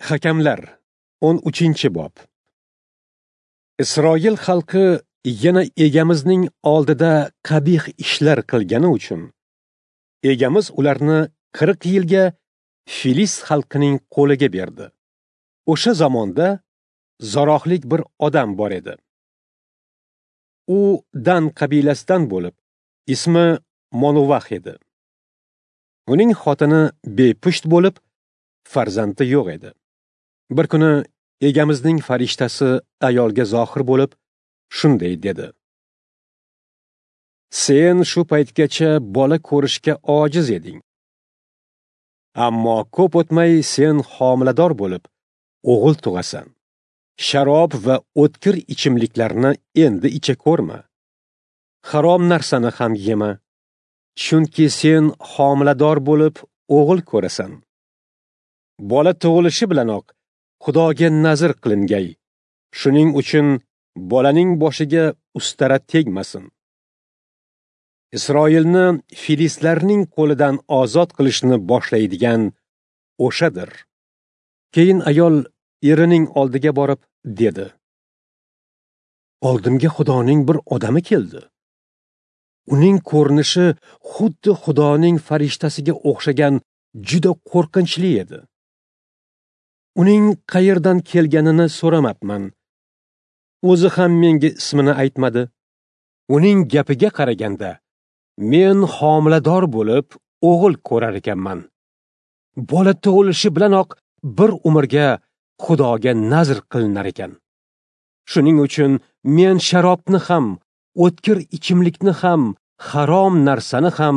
Hakamlar 13-bob. Isroil xalqi yana Egamizning oldida qabih ishlar qilgani uchun Egamiz ularni 40 yilga Filist xalqining qo'liga berdi. O'sha zamonda Zarohlik bir odam bor edi. U Dan qabilasidan bo'lib, ismi Monuvax edi. Uning xotini bepusht bo'lib, farzandi yo'q edi. Bir kuni Egamizning farishtasi ayolga zohir bo'lib, shunday dedi: Sen shu paytgacha bola ko'rishga ojiz eding. Ammo ko'p o'tmay sen homilador bo'lib, o'g'il tug'asan. Sharob va o'tkir ichimliklarni endi icha ko'rma. Harom narsani ham yema. Chunki sen homilador bo'lib, o'g'il ko'rasan. Bola tug'ilishi bilanoq Xudoga nazr qilingay. Shuning uchun bolaning boshiga ustara tegmasin. Isroilni filistlarning qo'lidan ozod qilishni boshlaydigan o'shadir. Keyin ayol erining oldiga borib dedi: Oldimga Xudoning bir odami keldi. Uning ko'rinishi xuddi Xudoning farishtasiga o'xshagan juda qo'rqinchli edi. Uning qayerdan kelganini so'ramabman. O'zi ham menga ismini aytmadi. Uning gapiga qaraganda men homilador bo'lib o'g'il ko'rar ekanman. Bola tug'ilishi bilanoq bir umrga Xudoga nazr qilinar ekan. Shuning uchun men sharobni ham, o'tkir ichimlikni ham, harom narsani ham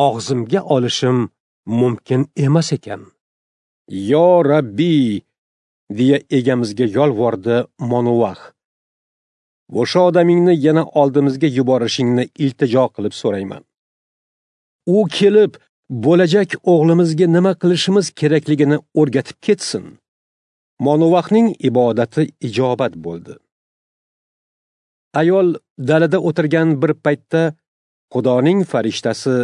og'zimga olishim mumkin emas ekan. Yo Rabbi, deya Egamizga yolvordi Monuvax. O'sha odamingni yana oldimizga yuborishingni iltijo qilib so'rayman. U kelib, bo'lajak o'g'limizga nima qilishimiz kerakligini o'rgatib ketsin. Monuvaxning ibodati ijobat bo'ldi. Ayol dalada o'tirgan bir paytda Xudoning farishtasi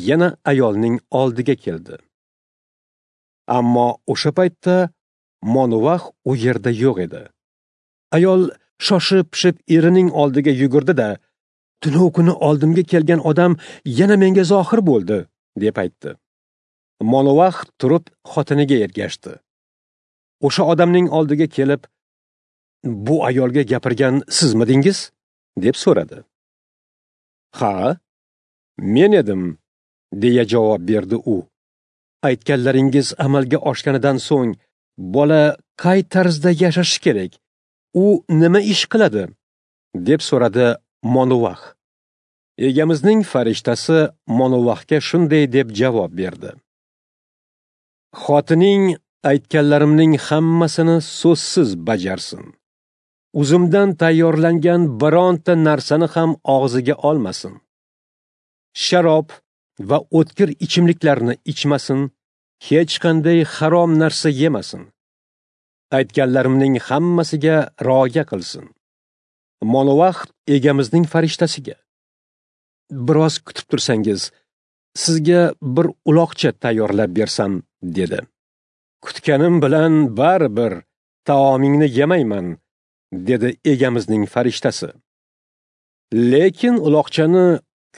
yana ayolning oldiga keldi. Ammo o'sha paytda Monuvax u yerda yo'q edi. Ayol shoshib-pishib erining oldiga yugurdi-da, "Tunov kuni oldimga kelgan odam yana menga zohir bo'ldi", deb aytdi. Monuvax turib xotiniga ergashdi. O'sha odamning oldiga kelib, "Bu ayolga gapirgan sizmidingiz?" deb so'radi. "Ha, men edim", deya javob berdi u. "Aytganlaringiz amalga oshganidan so'ng bola qay tarzda yashashi kerak? U nima ish qiladi?" deb so'radi Monuvax. Egamizning farishtasi Monuvaxga shunday deb javob berdi: Xotining aytganlarimning hammasini so'zsiz bajarsin. Uzumdan tayyorlangan bironta narsani ham og'ziga olmasin. Sharob va o'tkir ichimliklarni ichmasin, hech qanday harom narsa yemasin. Aytganlarimning hammasiga rioya qilsin. Monuvax Egamizning farishtasiga: "Biroz kutib tursangiz, sizga bir uloqcha tayyorlab bersam", dedi. "Kutganim bilan baribir taomingni yemayman", dedi Egamizning farishtasi. "Lekin uloqchani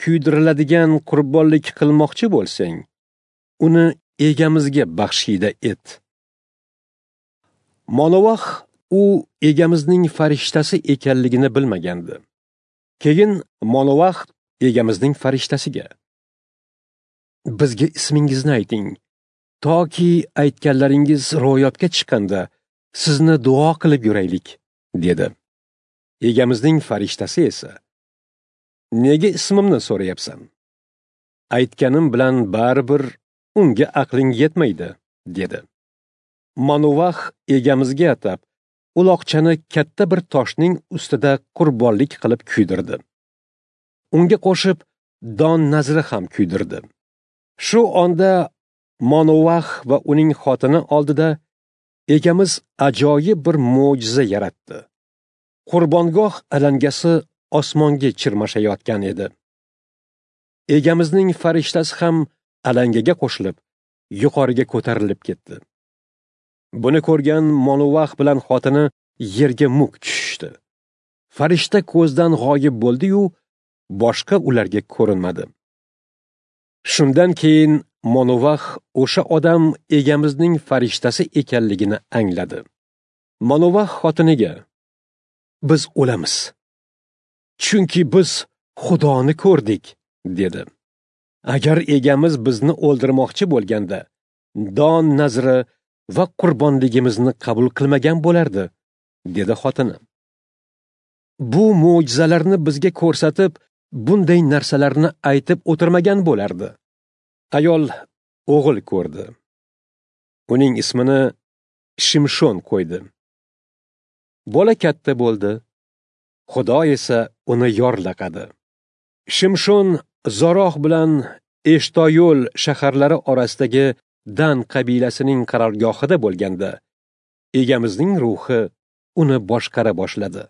kuydiriladigan qurbonlik qilmoqchi bo'lsang, uni Egamizga baxshida et." Monuvax u Egamizning farishtasi ekanligini bilmagandi. Keyin Monuvax Egamizning farishtasiga: "Bizga ismingizni ayting, toki aytganlaringiz ro'yobga chiqqanda sizni duo qilib yuraylik", dedi. Egamizning farishtasi esa: "Nega ismimni so'rayapsan? Aytganim bilan baribir unga aqling yetmaydi", dedi. Monuvax Egamizga atab uloqchani katta bir toshning ustida qurbonlik qilib kuydirdi. Unga qo'shib don nazri ham kuydirdi. Shu onda Monuvax va uning xotini oldida Egamiz ajoyib bir mo'jiza yaratdi. Qurbongoh alangasi osmonga chirmashayotgan edi. Egamizning farishtasi ham alangaga qo'shilib, yuqoriga ko'tarilib ketdi. Buni ko'rgan Monuvax bilan xotini yerga muk tushishdi. Farishta ko'zdan g'oyib bo'ldi-yu, boshqa ularga ko'rinmadi. Shundan keyin Monuvax o'sha odam egamizning farishtasi ekanligini angladi. Monuvax xotiniga: "Biz o'lamiz, chunki biz Xudoni ko'rdik", dedi. Agar egamiz bizni o'ldirmoqchi bo'lganda, don nazri va qurbonligimizni qabul qilmagan bo'lardi, dedi xotini. Bu mo'jizalarni bizga ko'rsatib, bunday narsalarni aytib o'tirmagan bo'lardi. Ayol o'g'il ko'rdi. Uning ismini Shimshon qo'ydi. Bola katta bo'ldi. Xudo esa uni yorlaqadi. Shimshon Zoroh bilan Eshtoyol shaharlari orasidagi Dan qabilasining qarorgohida bo'lganda, egamizning ruhi uni boshqara boshladi.